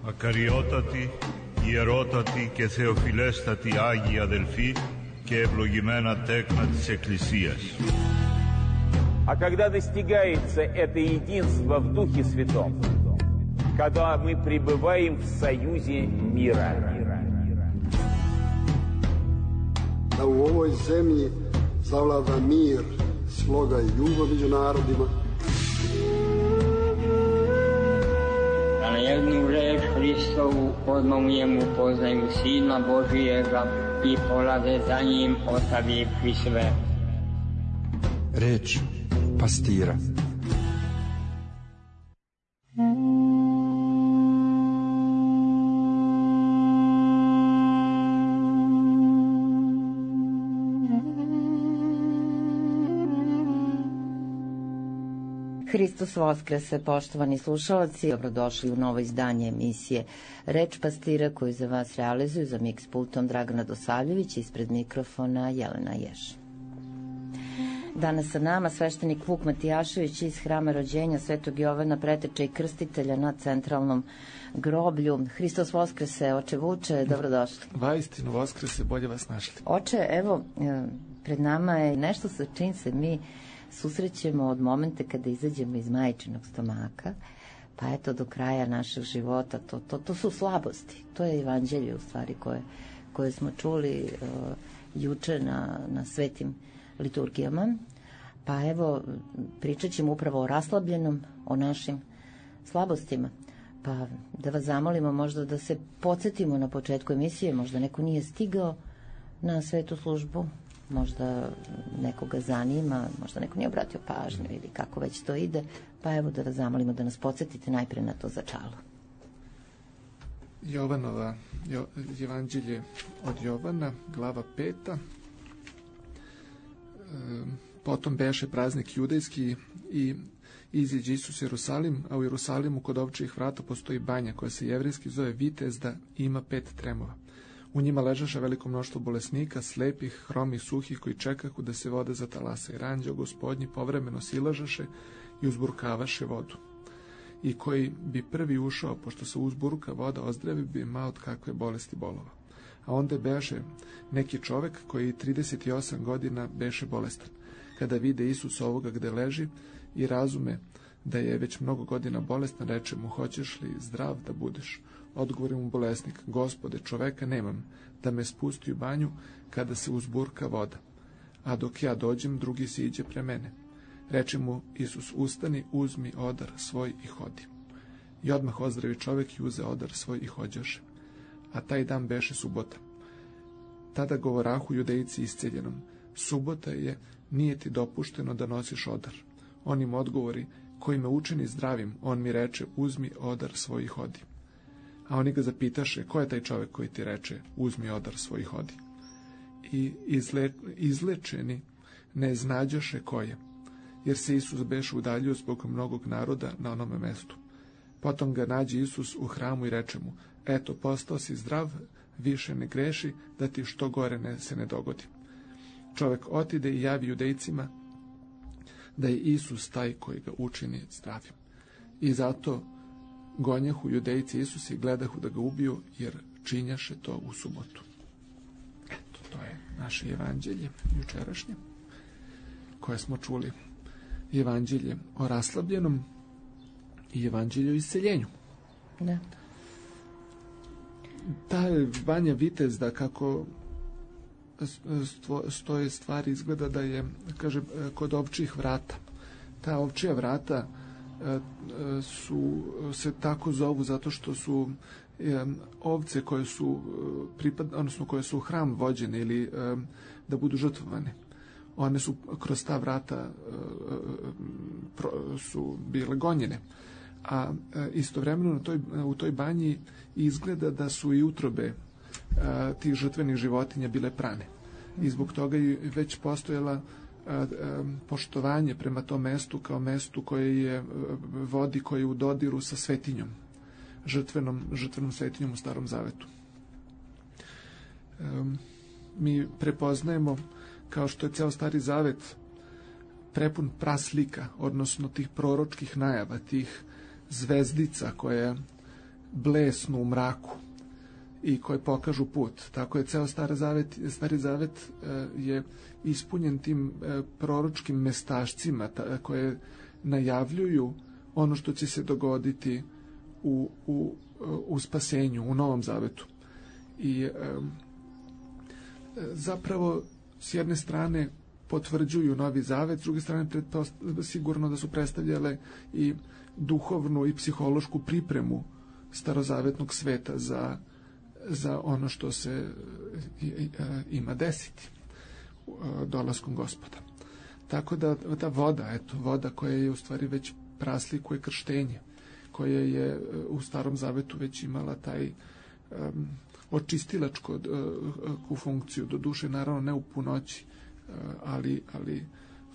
Ακαριότατοι, ιερότατοι και θεοφιλέστατοι Άγιοι αδελφοί και ευλογημένα τέκνα της Εκκλησίας. А когда достигается это единство в Духе Святом, когда мы пребываем в союзе мира. Da u ovoj zemlji zavlada mir, sloga i ljubav među narodima. Da na jednu reč Hristovu odmah u njemu poznaju Sina Božijega i polade za njim ostavivši sve. Reč pastira. Hristos Voskrese, poštovani slušalci, dobrodošli u novo izdanje emisije Reč pastira koju za vas realizuju za miks pultom Dragana Dosavljević, ispred mikrofona Jelena Jež. Danas sa nama sveštenik Vuk Matijašević iz Hrama rođenja Svetog Jovana Preteča i Krstitelja na centralnom groblju. Hristos Voskrese, oče Vuče, dobrodošli. Vaistinu Voskrese, bolje vas našli. Oče, evo, pred nama je nešto sa čim se mi susrećemo od momenta kada izađemo iz majčinog stomaka, pa eto do kraja našeg života. To su slabosti. To je evanđelje u stvari koje smo čuli juče na svetim liturgijama. Pa evo, pričat ćemo upravo o raslabljenom, o našim slabostima. Pa da vas zamolimo možda da se podsjetimo na početku emisije, možda neko nije stigao na svetu službu, možda nekoga zanima, možda neko nije obratio pažnju ili kako već to ide, pa evo da vas zamolimo da nas podsjetite najpre na to začalo. Jovanova evanđelje od Jovana, glava 5. Potom beše praznik judejski i iziđe Isus u Jerusalim, a u Jerusalimu kod ovčijih vrata postoji banja koja se jevrejski zove Vitezda i ima 5 tremova. U njima ležaše veliko mnoštvo bolesnika, slepih, hromih, suhih, koji čekahu da se voda zatalasa, jer anđeo Gospodnji povremeno silažaše i uzburkavaše vodu. I koji bi prvi ušao, pošto se uzburka voda ozdravi, bi imao od kakve bolesti bolova. A onda beše neki čovek koji 38 godina beše bolestan. Kada vide Isus ovoga gde leži i razume da je već mnogo godina bolestan, reče mu: hoćeš li zdrav da budeš? Odgovori mu bolesnik: Gospode, čoveka nemam da me spusti u banju kada se uzburka voda, a dok ja dođem, drugi siđe pre mene. Reče mu Isus: ustani, uzmi odar svoj i hodi. I odmah ozdravi čovek i uze odar svoj i hođaše. A taj dan beše subota. Tada govorahu judejci isceljenom: subota je, nije ti dopušteno da nosiš odar. On im odgovori: koji me učini zdravim, on mi reče: uzmi odar svoj i hodi. A oni ga zapitaše: ko je taj čovek koji ti reče: uzmi odar svoj i hodi? I izlečeni ne znađaše ko je, jer se Isus beše udaljio zbog mnogog naroda na onome mestu. Potom ga nađe Isus u hramu i reče mu: eto, postao si zdrav, više ne greši, da ti što gore se ne dogodi. Čovek otide i javi judejcima da je Isus taj koji ga učini zdravim. I zato gonjahu judejci Isus i gledahu da ga ubiju, jer činjaše to u subotu. Eto, to je naše evanđelje jučerašnje, koje smo čuli. Evanđelje o raslabljenom i evanđelje o isceljenju. Da. Ta banja Vitezda, kako stoje stvari, izgleda da je, kaže, kod ovčijih vrata. Ta ovčija vrata se tako zovu zato što su ovce koje su odnosno koje su u hram vođene ili da budu žrtvovane. One su kroz ta vrata su bile gonjene. A istovremeno u toj banji izgleda da su i utrobe tih žrtvenih životinja bile prane. I zbog toga je već postojala poštovanje prema tom mestu kao mestu koje je vodi, koje je u dodiru sa svetinjom, žrtvenom svetinjom u Starom Zavetu. Mi prepoznajemo, kao što je ceo Stari Zavet prepun praslika, odnosno tih proročkih najava, tih zvezdica blesnu u mraku i koje pokažu put. Tako je ceo Stari Zavet je ispunjen tim proročkim mestašcima koje najavljuju ono što će se dogoditi u spasenju, u Novom Zavetu. I zapravo s jedne strane potvrđuju Novi Zavet, s druge strane sigurno da su predstavljale i duhovnu i psihološku pripremu starozavetnog sveta za ono što se ima desiti dolaskom Gospoda. Tako da ta voda koja je u stvari već praslikuje krštenje, koja je u Starom Zavetu već imala taj očistilačku funkciju, do duše naravno ne u punoći, ali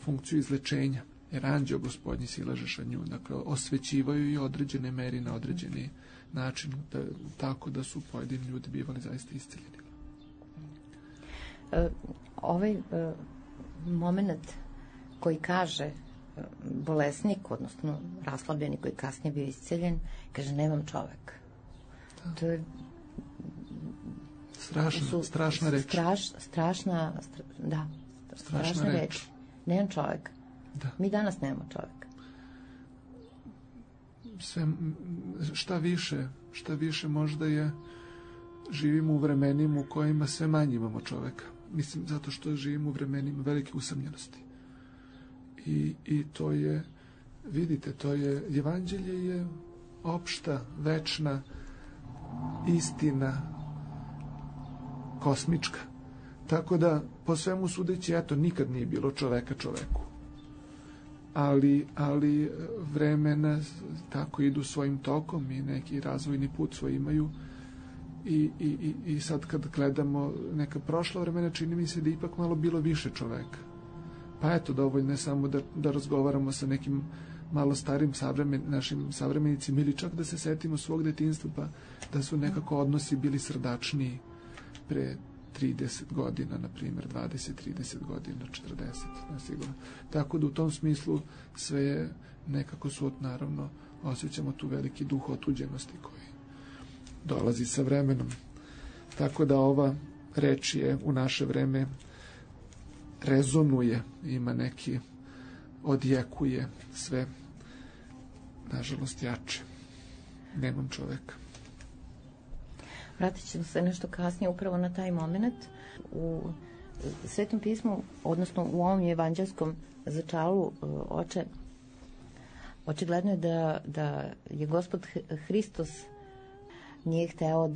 funkciju izlečenja, jer anđeo Gospodnji silažeš nju, dakle osvećivaju i određene meri na određeni način, tako da su pojedini ljudi bivali zaista isceljeni. Ovaj moment koji kaže bolesnik, odnosno raslabljeni koji kasnije bio isceljen, kaže nemam čoveka. Da. To je strašna reč. Strašna reč. Nemam čoveka. Da. Mi danas nemamo čoveka. Šta više možda je, živimo u vremenima u kojima sve manje imamo čoveka. Mislim, zato što živimo u vremenima velike usamljenosti. I to je, vidite, evanđelje je opšta, večna istina, kosmička. Tako da, po svemu sudeći, nikad nije bilo čoveka čoveku. Ali vremena tako idu svojim tokom i neki razvojni put svoj imaju. I sad kad gledamo neka prošla vremena, čini mi se da ipak malo bilo više čoveka. Pa eto, dovoljno je samo da razgovaramo sa nekim malo starim našim savremenicima ili čak da se setimo svog detinjstva, pa da su nekako odnosi bili srdačniji pre 30 godina, na primjer, 20-30 godina, 40, nesigurno. Tako da u tom smislu sve je nekako naravno, osjećamo tu veliki duh otuđenosti koji dolazi sa vremenom. Tako da ova reč je u naše vreme rezonuje, ima neki, odjekuje sve, nažalost, jače. Nemam čoveka. Vratit ćemo se nešto kasnije upravo na taj moment. U Svetom pismu, odnosno u ovom evanđelskom začalu oče, očigledno je da je Gospod Hristos nije hteo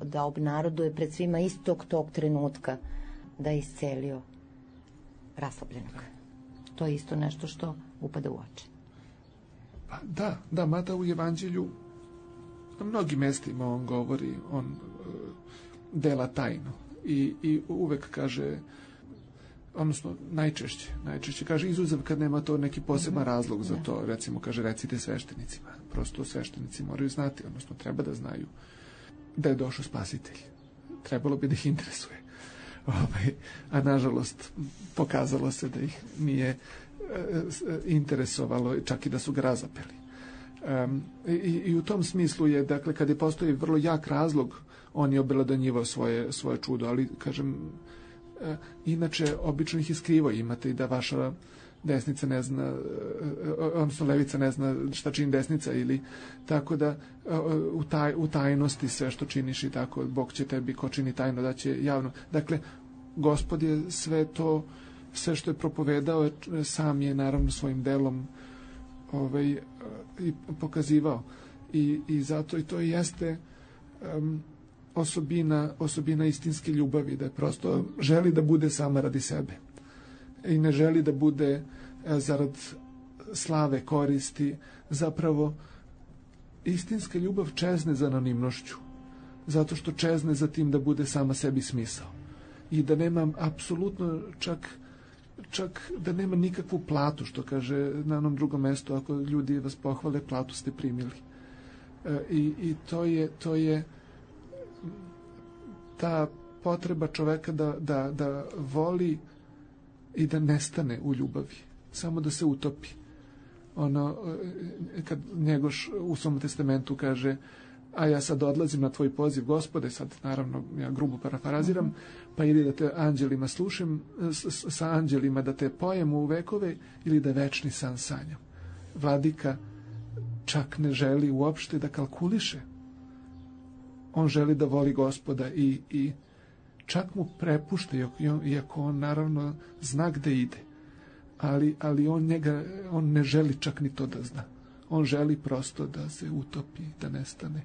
da obnaroduje pred svima istog tog trenutka da je iscelio raslabljenog. To je isto nešto što upada u oči. Pa da, mada u evanđelju na mnogim mestima on govori, on dela tajnu i uvek kaže, odnosno najčešće kaže, izuzev kad nema to neki poseban razlog za to, recimo kaže recite sveštenicima, prosto sveštenici moraju znati, odnosno treba da znaju da je došao spasitelj, trebalo bi da ih interesuje, a nažalost pokazalo se da ih nije interesovalo, čak i da su ga razapeli. I u tom smislu je, dakle, kad je postoji vrlo jak razlog, on je obelodanjivao svoje čudo, ali kažem, inače obično ih je skrivo, imate i da vaša desnica ne zna, odnosno levica ne zna šta čini desnica, ili tako da u tajnosti sve što činiš i tako, Bog će tebi ko čini tajno da će javno. Dakle, Gospod je sve to, sve što je propovedao, sam je naravno svojim delom i pokazivao. I zato i to jeste osobina istinske ljubavi, da prosto želi da bude sama radi sebe i ne želi da bude zarad slave, koristi. Zapravo istinska ljubav čezne za anonimnošću, zato što čezne za tim da bude sama sebi smisao i da nema apsolutno čak da nema nikakvu platu, što kaže na onom drugom mestu, ako ljudi vas pohvale, platu ste primili. I to je ta potreba čoveka da voli i da nestane u ljubavi, samo da se utopi. kad Njegoš u svom testamentu kaže: a ja sad odlazim na tvoj poziv, Gospode, sad naravno ja grubo parafraziram, pa ili da te anđelima slušam, sa anđelima da te pojem u vekove, ili da večni san sanjam. Vladika čak ne želi uopšte da kalkuliše. On želi da voli Gospoda i čak mu prepušta, iako on naravno zna gde ide, ali on ne želi čak ni to da zna. On želi prosto da se utopi, da nestane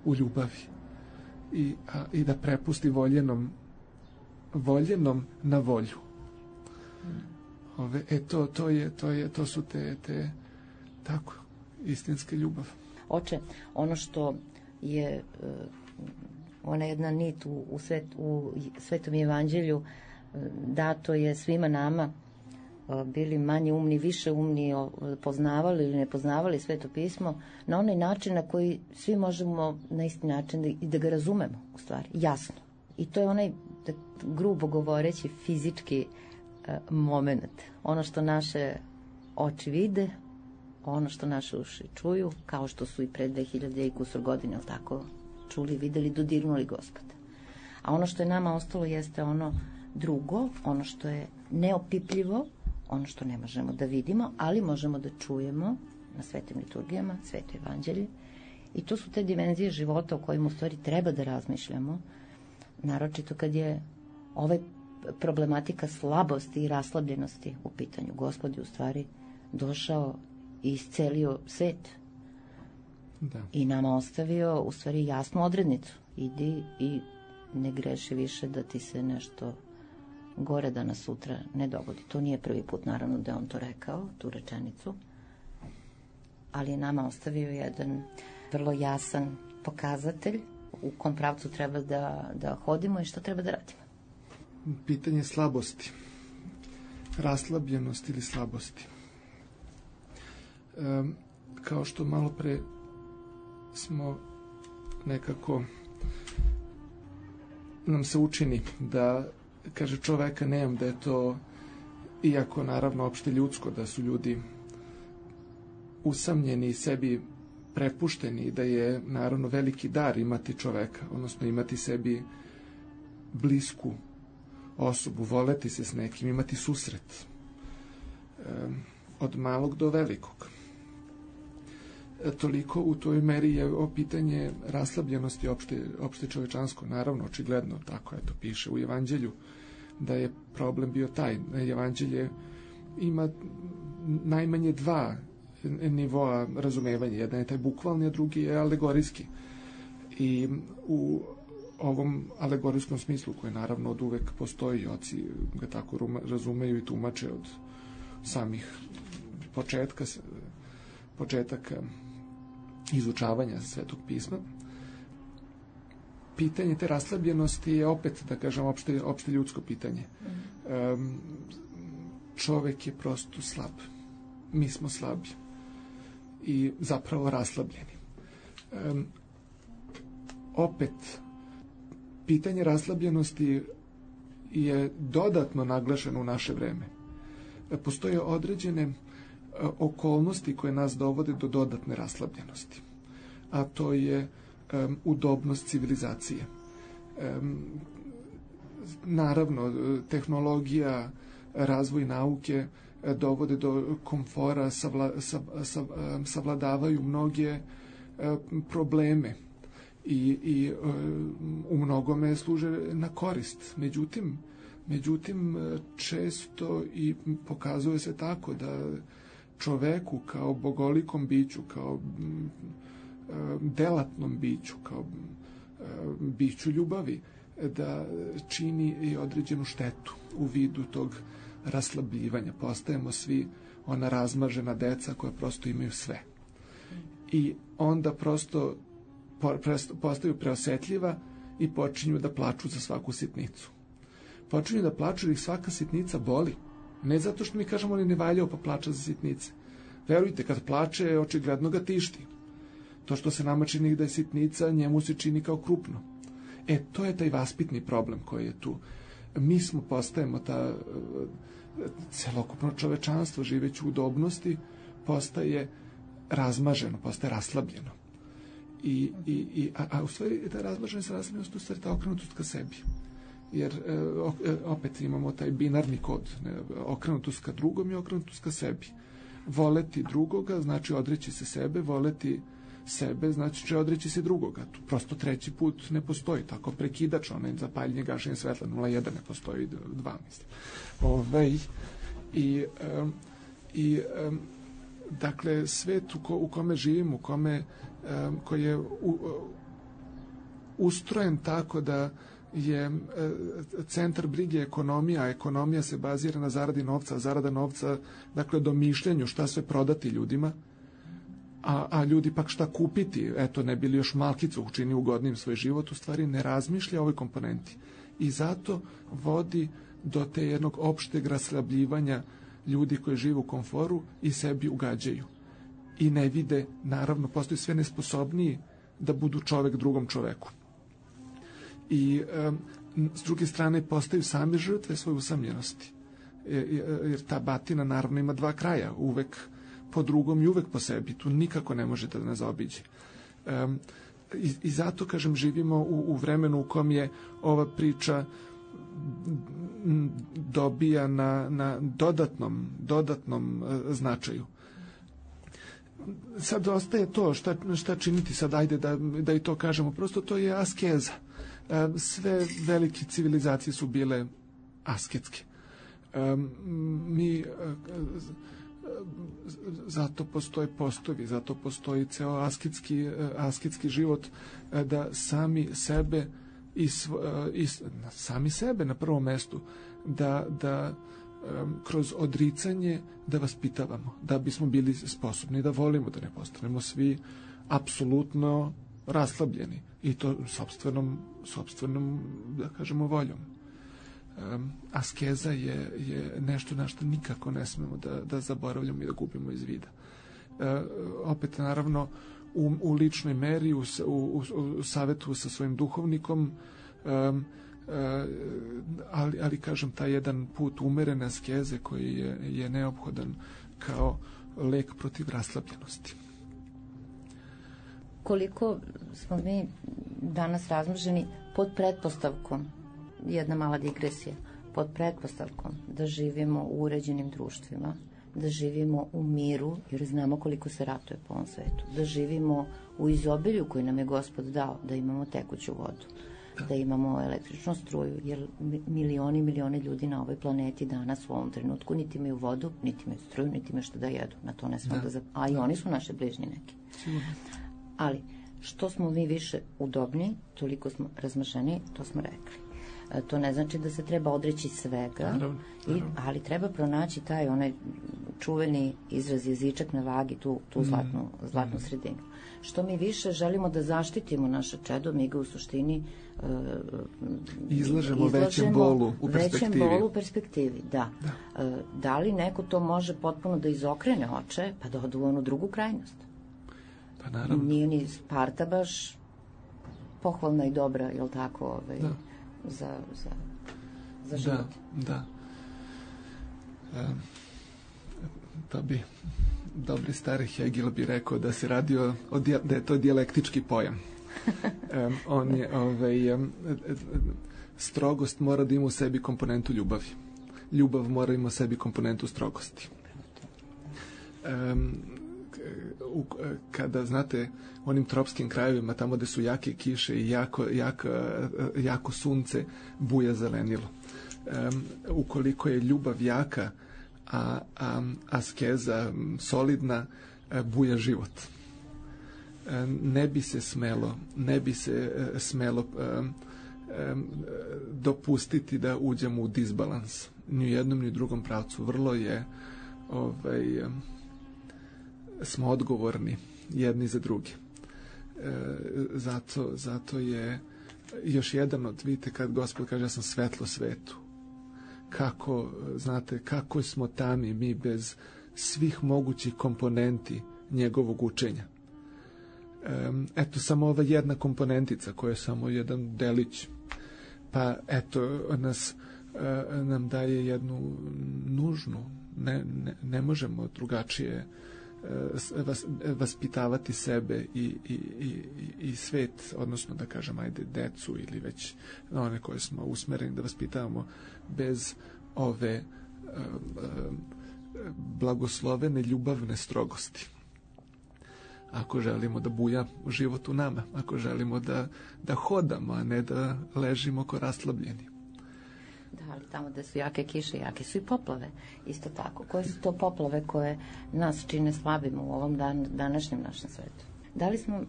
u ljubavi i da prepusti voljenom na volju. To su te tako istinske ljubav. Oče, ono što je ona jedna nit u Svetom evanđelju dato je svima nama, bili manje umni, više umni, poznavali ili ne poznavali Sveto pismo, na onaj način na koji svi možemo na isti način da ga razumemo, u stvari, jasno. I to je onaj, grubo govoreći, fizički moment. Ono što naše oči vide, ono što naše uši čuju, kao što su i pre 2000 i kusur godine, tako, čuli, videli, dodirnuli Gospoda. A ono što je nama ostalo jeste ono drugo, ono što je neopipljivo, ono što ne možemo da vidimo, ali možemo da čujemo na svetim liturgijama, Sveto evanđelje. I to su te dimenzije života o kojima u stvari treba da razmišljamo, naročito kad je ovaj problematika slabosti i raslabljenosti u pitanju. Gospod je u stvari došao i iscelio svet. Da. I nama ostavio u stvari jasnu odrednicu. Idi i ne greši više da ti se nešto gore danas sutra ne dogodi. To nije prvi put, naravno, da je on to rekao, tu rečenicu, ali je nama ostavio jedan vrlo jasan pokazatelj u kom pravcu treba da hodimo i što treba da radimo. Pitanje slabosti, raslabljenosti ili slabosti. Kao što malo pre smo nekako, nam se učini da, kaže, čoveka nemam, da je to, iako naravno opšte ljudsko, da su ljudi usamljeni i sebi prepušteni, da je naravno veliki dar imati čoveka, odnosno imati sebi blisku osobu, voleti se s nekim, imati susret od malog do velikog. Toliko u toj meri je o pitanje raslabljenosti opšte čovečansko, naravno, očigledno, tako eto piše u evanđelju, da je problem bio taj. Evanđelje ima najmanje dva nivoa razumevanja. Jedan je taj bukvalni, a drugi je alegorijski. I u ovom alegorijskom smislu, koji naravno od uvek postoji, oci ga tako razumeju i tumače od samih početaka izučavanja Svetog pisma, pitanje te raslabljenosti je opet, da kažem, opšte ljudsko pitanje. Čovek je prosto slab. Mi smo slabi i zapravo raslabljeni. Opet, pitanje raslabljenosti je dodatno naglašeno u naše vreme. Postoje određene okolnosti koje nas dovode do dodatne raslabljenosti, a to je udobnost civilizacije. Naravno, tehnologija, razvoj nauke dovode do komfora, savladavaju mnoge probleme i u mnogome služe na korist. Međutim, često i pokazuje se tako da čoveku kao bogolikom biću, kao delatnom biću, kao biću ljubavi, da čini i određenu štetu u vidu tog raslabljivanja. Postajemo svi ona razmažena deca koja prosto imaju sve. I onda prosto postaju preosetljiva i počinju da plaču za svaku sitnicu. Počinju da plaču jer ih svaka sitnica boli. Ne zato što mi kažemo ali ne valjao pa plača za sitnice. Verujte, kad plače, očigledno ga tišti. To što se nama čini da je sitnica, njemu se čini kao krupno. To je taj vaspitni problem koji je tu. Mi postajemo celokupno čovečanstvo živeći u udobnosti, postaje razmaženo, postaje raslabljeno. A u stvari ta razmaženost i raslabljenost u stvari ta okrenutost ka sebi. Jer opet imamo taj binarni kod, okrenutost ka drugom i okrenutost ka sebi. Voleti drugoga znači odreći se sebe, voleti sebe znači će odreći se drugoga. Tu prosto treći put ne postoji, tako prekidač, onaj zapaljenje, gašenje svetla 0,1 ne postoji, 2 mislim. Dakle, svet u kome živimo, koji je ustrojen tako da je centar brige ekonomija, a ekonomija se bazira na zaradi novca, a zarada novca, dakle, domišljanju šta sve prodati ljudima, a ljudi pak šta kupiti, eto, ne bili još malkicu učini ugodnim svoj život, u stvari ne razmišlja o ovoj komponenti. I zato vodi do te jednog opšteg raslabljivanja ljudi koji žive u komforu i sebi ugađaju. I ne vide, naravno, postaju sve nesposobniji da budu čovek drugom čoveku. I s druge strane postaju sami žrtve svoje usamljenosti. Jer ta batina naravno ima dva kraja, uvek po drugom i uvek po sebi. Tu nikako ne možete da nas zaobiđe. I zato, kažem, živimo u vremenu u kom je ova priča dobija na dodatnom značaju. Sad ostaje to, šta činiti sad, ajde da i to kažemo, prosto to je askeza. Sve velike civilizacije su bile asketske. Zato postoje postovi, zato postoji ceo asketski život, da sami sebe sami sebe na prvom mestu da kroz odricanje da vaspitavamo, da bismo bili sposobni da volimo, da ne postanemo svi apsolutno raslabljeni i to sopstvenom da kažemo voljom. Askeza je nešto na što nikako ne smemo da zaboravljamo i da gubimo iz vida. Opet, naravno, u ličnoj meri, u savetu sa svojim duhovnikom, ali kažem, taj jedan put umerene askeze koji je neophodan kao lek protiv raslabljenosti. Koliko smo mi danas razmrženi pod pretpostavkom, jedna mala digresija, pod pretpostavkom da živimo u uređenim društvima, da živimo u miru, jer znamo koliko se ratuje po ovom svetu, da živimo u izobilju koji nam je Gospod dao, da imamo tekuću vodu, da imamo električnu struju, jer milioni ljudi na ovoj planeti danas u ovom trenutku niti imaju vodu, niti imaju struju, niti imaju što da jedu. Na to ne smemo a i oni su naše bližnji neki. Ali, što smo mi više udobni, toliko smo razmašeni, to smo rekli. To ne znači da se treba odreći svega, ali treba pronaći taj onaj čuveni izraz jezičak na vagi, tu zlatnu sredinu. Što mi više želimo da zaštitimo naše čedo, mi ga u suštini izlažemo većem bolu u perspektivi. Da li neko to može potpuno da izokrene oče, pa da odu u onu drugu krajnost? Pa naravno. Nije ni Sparta baš pohvalna i dobra, jel tako, za život. Da. To bi dobri stari Hegel bi rekao da se radi da je to dijalektički pojam. On je strogost mora da ima u sebi komponentu ljubavi. Ljubav mora ima u sebi komponentu strogosti. Kada, znate, u onim tropskim krajevima, tamo gde su jake kiše i jako sunce, buja zelenilo. Ukoliko je ljubav jaka, a askeza solidna, buja život. Ne bi se smelo dopustiti da uđemo u disbalans. Ni u jednom, ni u drugom pravcu. Vrlo je smo odgovorni jedni za drugi. Zato je još jedan od, vidite, kad Gospod kaže ja sam svetlo svetu. Kako smo tami mi bez svih mogućih komponenti njegovog učenja. Eto, samo ova jedna komponentica koja je samo jedan delić, pa eto nam daje jednu nužnu, ne možemo drugačije vaspitavati sebe i svet, odnosno da kažem, ajde, decu ili već one koje smo usmereni da vaspitavamo bez ove blagoslovene ljubavne strogosti. Ako želimo da buja život u nama, ako želimo da hodamo, a ne da ležimo ko raslabljeni. Da, ali tamo gde su jake kiše, jake su i poplave. Isto tako. Koje su to poplave koje nas čine slabim u ovom današnjem našem svetu? Da li smo,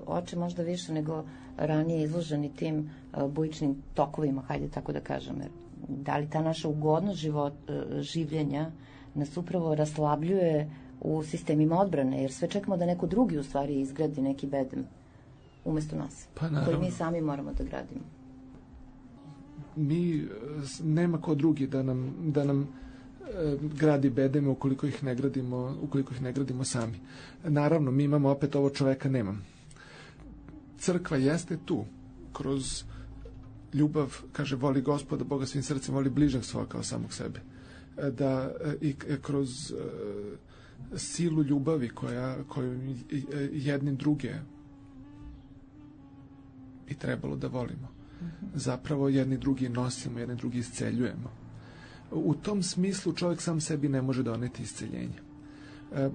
oče, možda više nego ranije izloženi tim bujičnim tokovima, hajde tako da kažem, da li ta naša ugodnost življenja nas upravo raslabljuje u sistemima odbrane, jer sve čekamo da neko drugi u stvari izgradi neki bedem umesto nas, koji mi sami moramo da gradimo. Nema ko drugi da nam gradi bedeme ukoliko ih ne gradimo sami. Naravno, mi imamo opet ovo, čoveka nemam. Crkva jeste tu, kroz ljubav, kaže, voli Gospoda Boga svim srcem, voli bližnjeg svoga kao samog sebe. Da i kroz silu ljubavi koju jedni druge bi trebalo da volimo. Zapravo jedni drugi nosimo, jedni drugi isceljujemo. U tom smislu čovjek sam sebi ne može doneti isceljenje.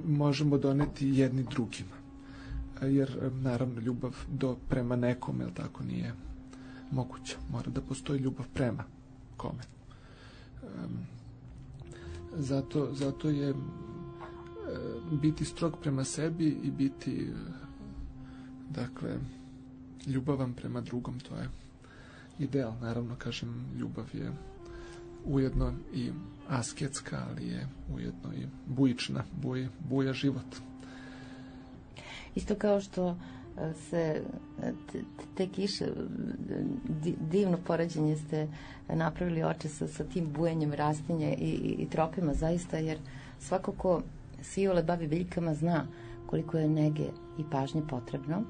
Možemo doneti jedni drugima. Jer naravno ljubav prema nekom, jel tako, nije moguća. Mora da postoji ljubav prema kome. Zato je biti strog prema sebi i biti, dakle, ljubavan prema drugom, to je ideal. Naravno, kažem, ljubav je ujedno i asketska, ali je ujedno i bujična, buja život. Isto kao što se te kiše, divno poređenje ste napravili, oče, sa tim bujenjem rastinja i tropima, zaista, jer svako ko se iole bavi biljkama zna koliko je nege i pažnje potrebno.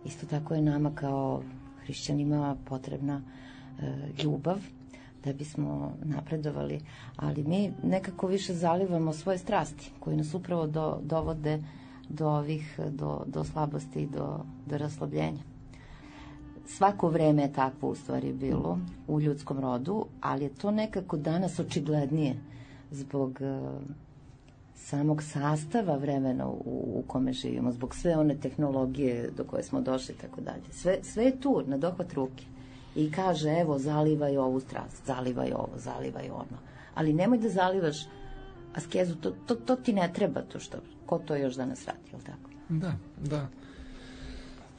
Isto tako je nama kao hrišćanima potrebna ljubav da bismo napredovali, ali mi nekako više zalivamo svoje strasti koje nas upravo dovode do slabosti i do raslabljenja. Svako vreme je takvo u stvari bilo u ljudskom rodu, ali je to nekako danas očiglednije zbog samog sastava vremena u kome živimo, zbog sve one tehnologije do koje smo došli i tako dalje. Sve je tu, na dohvat ruke. I kaže, evo, zalivaj ovu strast, zalivaj ovo, zalivaj ono. Ali nemoj da zalivaš askezu, to ti ne treba, to što, ko to još danas radi, je li tako? Da.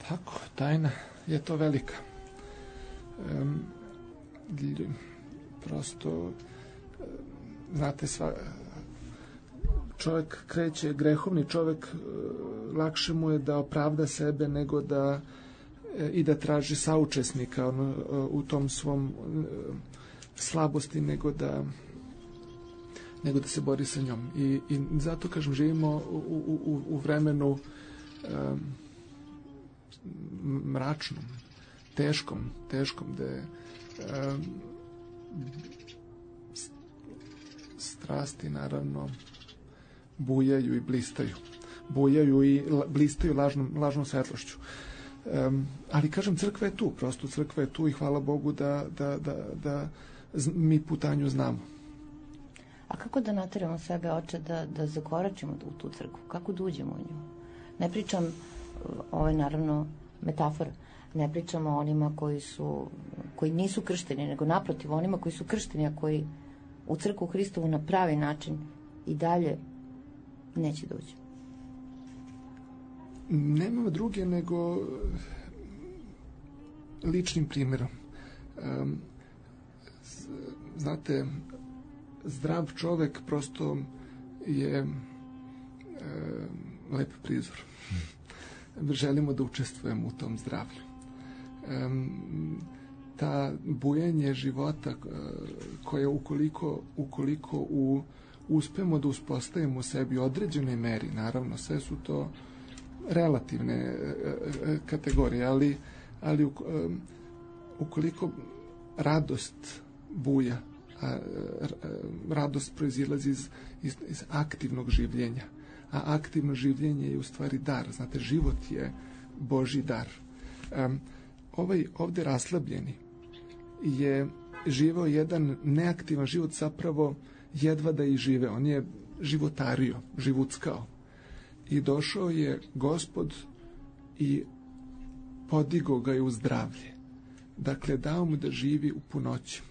Tako, tajna je to velika. Prosto, znate, čovjek kreće, grehovni čovjek, lakše mu je da opravda sebe nego da traži saučesnika u tom svom slabosti, nego da se bori sa njom. I zato, kažem, živimo u vremenu mračnom, teškom, gde strasti, naravno, bujaju i blistaju. Bujaju i blistaju lažnom svetlošću. Ali, kažem, crkva je tu, prosto crkva je tu i hvala Bogu da mi putanju znamo. A kako da nateramo sebe, oče, da zakoračimo u tu crkvu? Kako da uđemo u nju? Ne pričam, ovo je naravno metafora, ne pričamo o onima koji nisu kršteni, nego naprotiv, onima koji su kršteni, a koji u crkvu Hristovu na pravi način i dalje neće da uđe. Nema druge nego ličnim primjerom. Znate, zdrav čovek prosto je lep prizor. Želimo da učestvujemo u tom zdravlju. Ta bujanje života koje ukoliko uspemo da uspostavimo u sebi u određenoj meri, naravno, sve su to relativne kategorije, ali ukoliko radost buja, radost proizilazi iz aktivnog življenja, a aktivno življenje je u stvari dar. Znate, život je Božji dar. Ovaj ovde raslabljeni je živeo jedan neaktivan život, zapravo jedva da i žive. On je životario, živuckao. I došao je Gospod i podigao ga je u zdravlje. Dakle, dao mu da živi u punoći.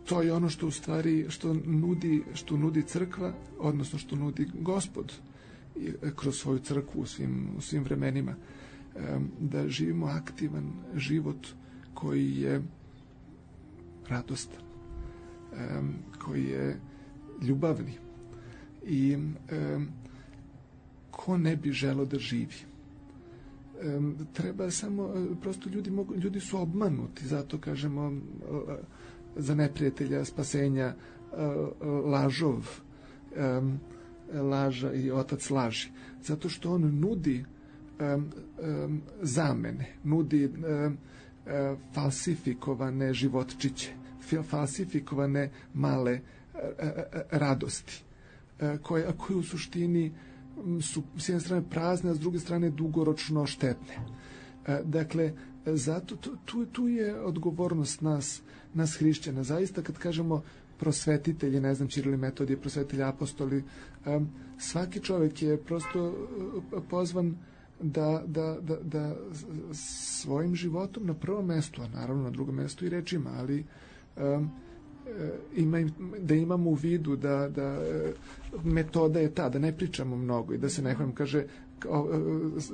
To je ono što u stvari što nudi crkva, odnosno što nudi Gospod kroz svoju crkvu u svim vremenima. Da živimo aktivan život koji je radostan, koji je ljubavni. I ko ne bi želeo da živi? Treba samo, prosto ljudi su obmanuti, zato kažemo za neprijatelja spasenja lažov, laža i otac laži. Zato što on nudi zamene, nudi falsifikovane životčiće, falsifikovane male radosti, koje u suštini su s jedne strane prazne, a s druge strane dugoročno štetne. Dakle, zato tu je odgovornost nas hrišćana. Zaista kad kažemo prosvetitelji, ne znam, Ćiril i Metodije, prosvetitelji, apostoli, svaki čovjek je prosto pozvan da svojim životom na prvom mjestu, a naravno na drugom mjestu i rečima, ali da imamo u vidu da metoda je ta, da ne pričamo mnogo i da se nekom kaže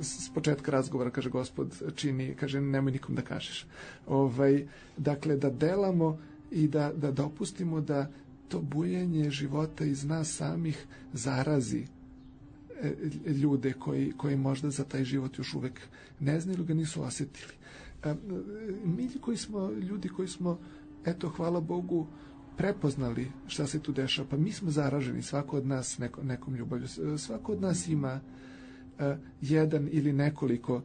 s početka razgovora, kaže Gospod čini, kaže nemoj nikom da kažeš. Dakle, da delamo i da dopustimo da to bujanje života iz nas samih zarazi ljude koji možda za taj život još uvek ne znaju ili ga nisu osjetili. Mi ljudi koji smo, eto, hvala Bogu, prepoznali šta se tu dešava, pa mi smo zaraženi, svako od nas nekom ljubavlju. Svako od nas ima jedan ili nekoliko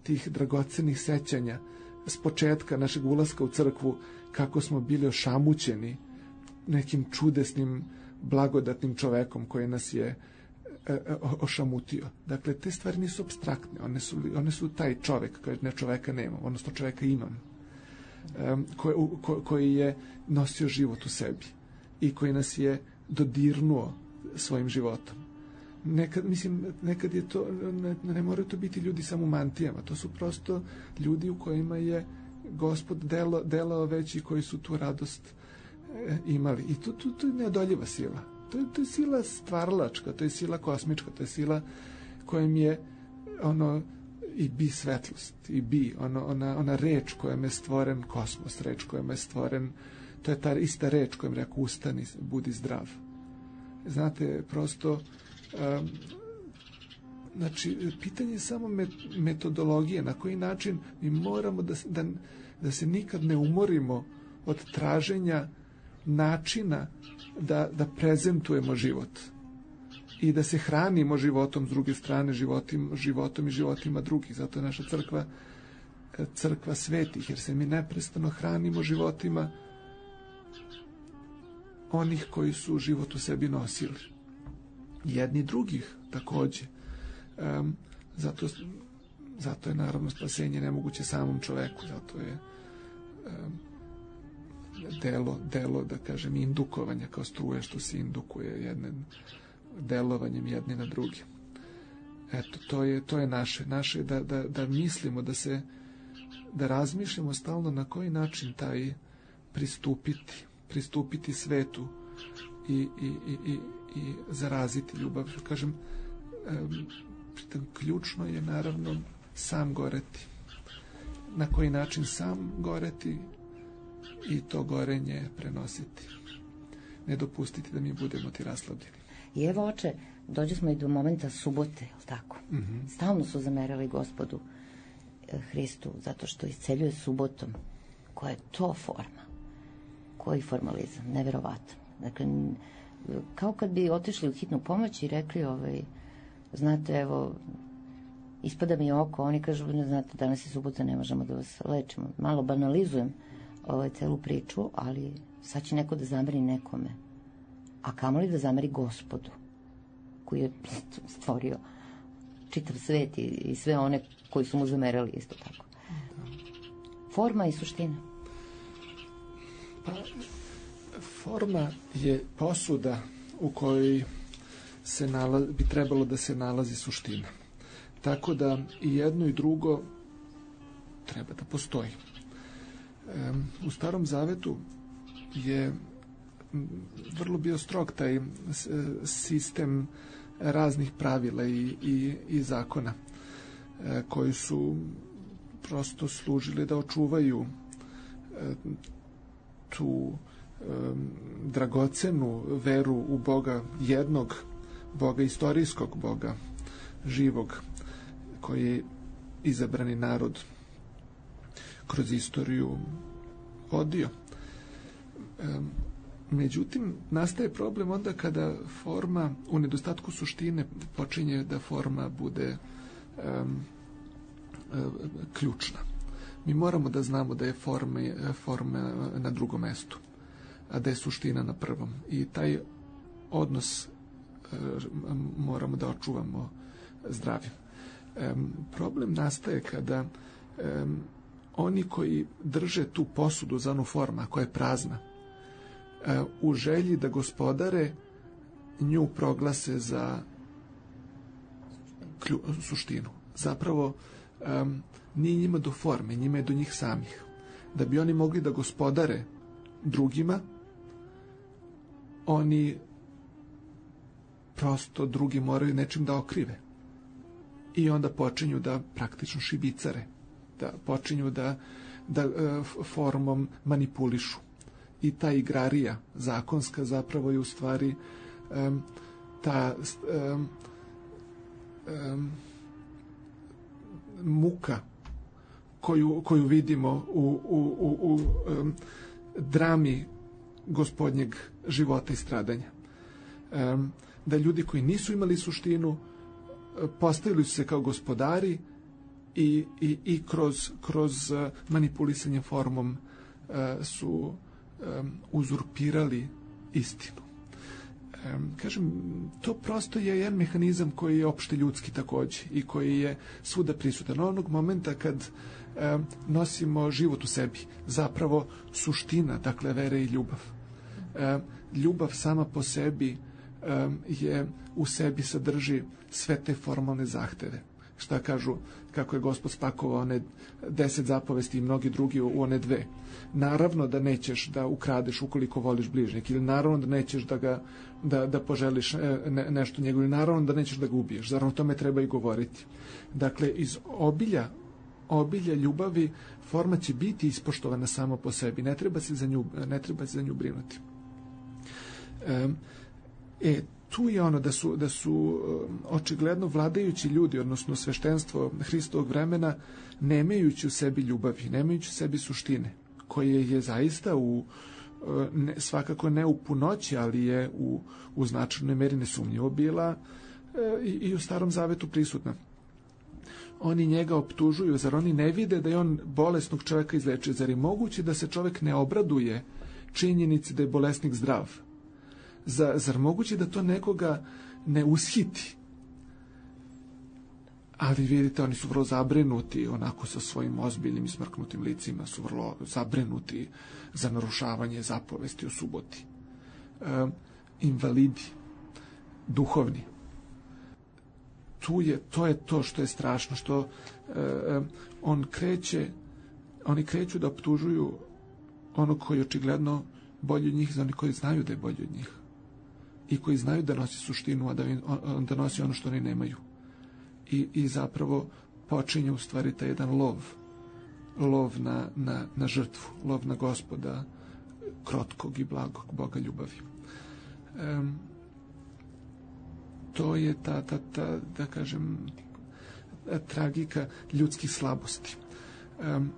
tih dragocenih sećanja s početka našeg ulaska u crkvu, kako smo bili ošamućeni nekim čudesnim, blagodatnim čovekom koji nas je ošamutio. Dakle, te stvari nisu apstraktne, one su taj čovek, kaže ne, čoveka nemam, odnosno čoveka imam, koji je nosio život u sebi i koji nas je dodirnuo svojim životom. Nekad je to, ne moraju to biti ljudi samo u mantijama, to su prosto ljudi u kojima je Gospod delao već i koji su tu radost imali. I to je neodoljiva sila. To je sila stvaralačka, to je sila kosmička, to je sila kojom je i bi svetlost, i bi ona reč kojom je stvoren kosmos, reč kojom je stvoren, to je ta ista reč kojom rekao ustani, budi zdrav. Znate, prosto znači, pitanje je samo metodologije, na koji način mi moramo da se nikad ne umorimo od traženja načina da prezentujemo život i da se hranimo životom, s druge strane životom i životima drugih. Zato je naša crkva svetih, jer se mi neprestano hranimo životima onih koji su život u sebi nosili. Jedni drugih takođe. Zato je naravno spasenje nemoguće samom čoveku, zato je delo, da kažem, indukovanja, kao struje što se indukuje delovanjem jedni na drugi. Eto, to je naše da mislimo, da razmišljamo stalno na koji način taj pristupiti svetu i zaraziti ljubav. Kažem, ključno je naravno sam goreti. Na koji način sam goreti i to gorenje prenositi. Ne dopustiti da mi budemo ti raslabljeni. I evo, oče, dođe smo i do momenta subote, jel tako? Mm-hmm. Stalno su zamerali Gospodu Hristu, zato što isceljuje subotom. Koja je to forma? Koji formalizam? Neverovatan. Dakle, kao kad bi otišli u hitnu pomoć i rekli, znate, evo, ispada mi oko, oni kažu, ne znate, danas je subota, ne možemo da vas lečimo. Malo banalizujem celu priču, ali sad će neko da zameri nekome. a kamoli da zameri Gospodu koji je stvorio čitav svet i sve one koji su mu zamerali isto tako. Forma i suština. Pa, forma je posuda u kojoj bi trebalo da se nalazi suština. Tako da i jedno i drugo treba da postoji. U Starom Zavetu je vrlo bio strog taj sistem raznih pravila i zakona koji su prosto služili da očuvaju tu dragocenu veru u Boga jednog, Boga istorijskog, Boga živog, koji je izabrani narod kroz istoriju vodio. Međutim, nastaje problem onda kada forma u nedostatku suštine počinje da forma bude ključna. Mi moramo da znamo da je forma na drugom mestu, a da je suština na prvom. I taj odnos moramo da očuvamo zdravim. Problem nastaje kada oni koji drže tu posudu za onu forma koja je prazna, u želji da gospodare nju proglase za suštinu. Zapravo nije njima do forme, njima je do njih samih. Da bi oni mogli da gospodare drugima, oni prosto drugi moraju nečim da okrive. I onda počinju da praktično šibicare, da počinju da formom manipulišu. I ta igrarija zakonska zapravo je u stvari ta muka koju vidimo u drami Gospodnjeg života i stradanja. Da ljudi koji nisu imali suštinu postavili su se kao gospodari i kroz manipulisanje formom su uzurpirali istinu. Kažem, to prosto je jedan mehanizam koji je opšte ljudski takođe i koji je svuda prisutan. Onog momenta kad nosimo život u sebi, zapravo suština, dakle, vere i ljubav. Ljubav sama po sebi je u sebi sadrži sve te formalne zahteve. Šta kažu, kako je Gospod spakovao one 10 zapovesti i mnogi drugi u one 2. Naravno da nećeš da ukradeš ukoliko voliš bližnjeg, ili naravno da nećeš da poželiš nešto njegovo, ili naravno da nećeš da ga ubiješ. Zar o tome treba i govoriti? Dakle, iz obilja ljubavi forma će biti ispoštovana samo po sebi. Ne treba se za nju brinuti. Tu je ono da su očigledno vladajući ljudi, odnosno sveštenstvo Hristovog vremena, nemajući u sebi ljubavi, nemajući u sebi suštine, koje je zaista svakako ne u punoći, ali je u značajnoj meri nesumnjivo bila i u Starom Zavetu prisutna. Oni njega optužuju, zar oni ne vide da je on bolesnog čovjeka izlečio? Zar je moguće da se čovjek ne obraduje činjenici da je bolesnik zdrav? Zar moguće da to nekoga ne ushiti? Ali vidite, oni su vrlo zabrinuti, onako sa svojim ozbiljnim i smrknutim licima, su vrlo zabrinuti za narušavanje zapovesti o suboti. Invalidi, duhovni. To je to što je strašno, što oni kreću da optužuju onog koji je očigledno bolji od njih, za oni koji znaju da je bolji od njih i koji znaju da nosi suštinu, a da nosi ono što oni nemaju. I zapravo počinje u stvari taj jedan lov na žrtvu, lov na Gospoda krotkog i blagog, Boga ljubavi. To je ta da kažem, tragika ljudskih slabosti.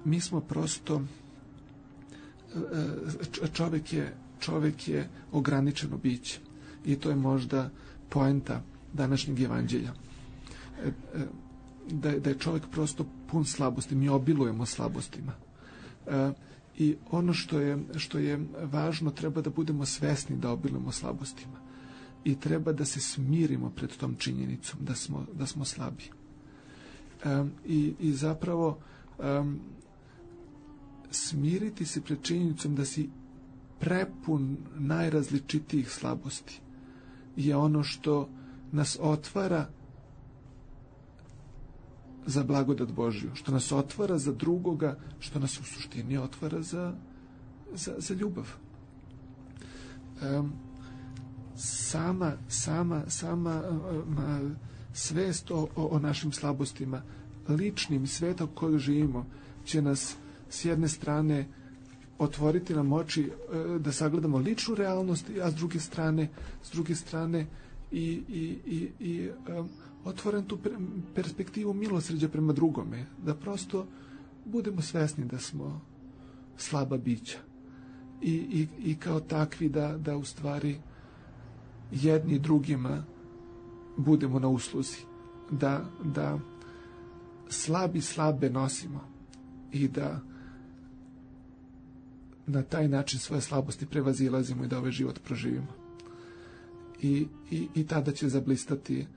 Mi smo prosto, čovjek je ograničeno biće i to je možda poenta današnjeg evanđelja. Da je čovjek prosto pun slabosti, mi obilujemo slabostima. I ono što je važno, treba da budemo svesni da obilujemo slabostima i treba da se smirimo pred tom činjenicom da smo slabi. I zapravo smiriti se pred činjenicom da si prepun najrazličitijih slabosti je ono što nas otvara za blagodat Božju, što nas otvara za drugoga, što nas u suštini otvara za ljubav. Sama svest o našim slabostima, ličnim svetom kojeg živimo, će nas s jedne strane otvoriti nam oči da sagledamo ličnu realnost, a s druge strane i otvoren tu perspektivu milosrđa prema drugome, da prosto budemo svesni da smo slaba bića i kao takvi da u stvari jedni drugima budemo na usluzi, da slabe nosimo i da na taj način svoje slabosti prevazilazimo i da ovaj život proživimo. I tada će zablistati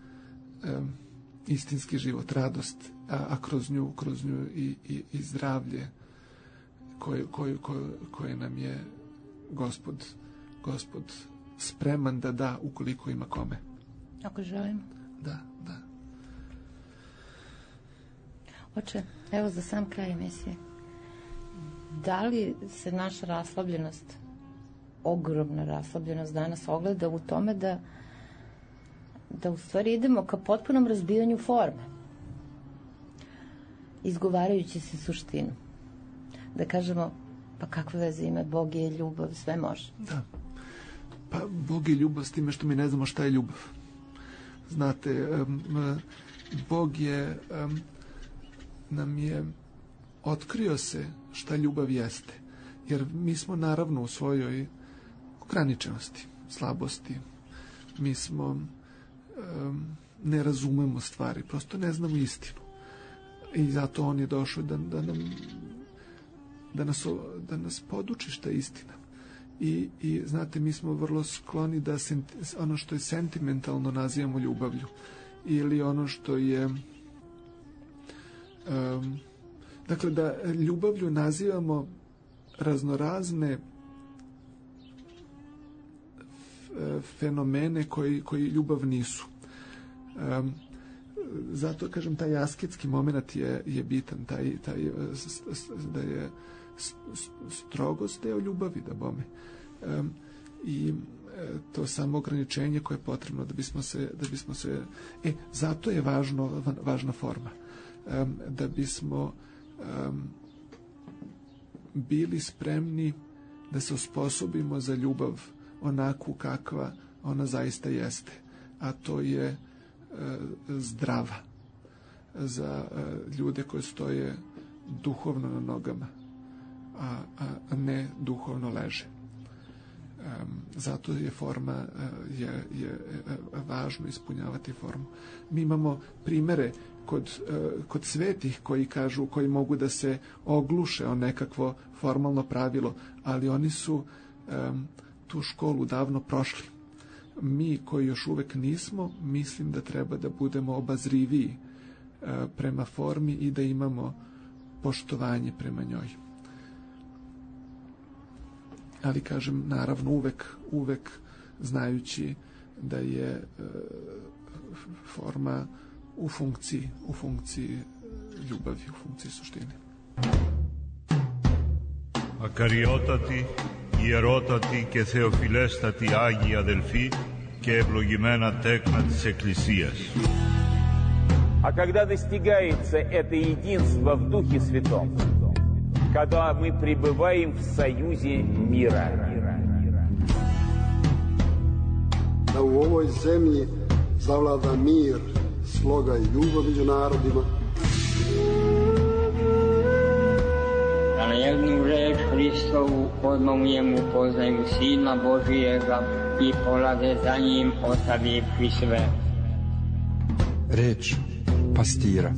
istinski život, radost, a kroz nju i zdravlje koje nam je Gospod spreman da da ukoliko ima kome. Ako želimo. Da. Oče, evo za sam kraj emisije. Da li se naša raslabljenost, ogromna raslabljenost danas ogleda u tome da u stvari idemo ka potpunom razbijanju forme, izgovarajući se suštinu. Da kažemo, pa kakve veze ima, Bog je ljubav, sve može. Da. Pa Bog je ljubav s time što mi ne znamo šta je ljubav. Znate, Bog nam je otkrio se šta ljubav jeste. Jer mi smo naravno u svojoj ograničenosti, slabosti. Mi smo ne razumemo stvari, prosto ne znamo istinu. I zato on je došao da nas poduči šta je istina. I znate, mi smo vrlo skloni da ono što je sentimentalno nazivamo ljubavlju. Ili ono što je dakle, da ljubavlju nazivamo raznorazne fenomene koji ljubav nisu. Zato, kažem, taj asketski moment je bitan, da je strogost deo ljubavi, da bome. I to samo ograničenje koje je potrebno da bismo se zato je važna forma. Da bismo bili spremni da se osposobimo za ljubav onakvu kakva ona zaista jeste, a to je zdrava za ljude koji stoje duhovno na nogama, a ne duhovno leže. Zato je forma je važno ispunjavati formu. Mi imamo primere kod svetih koji mogu da se ogluše o nekakvo formalno pravilo, ali oni su tu školu davno prošli. Mi koji još uvek nismo, mislim da treba da budemo obazriviji prema formi i da imamo poštovanje prema njoj. Ali, kažem, naravno uvek znajući da je forma u funkciji ljubavi, u funkciji suštine. Ακαριότατοι, ιερότατοι και θεοφιλέστατοι Άγιοι αδελφοί και ευλογημένα τέκνα της Εκκλησίας. А когда достигается это единство в Духе Святом, когда мы пребываем в союзе мира. Da u ovoj zemlji zavlada mir, sloga i ljubav među narodima. Da na jednu reč Hristovu odmah u njemu poznaju Sina Božijega i polade za njim ostavivši sve. Reč pastira.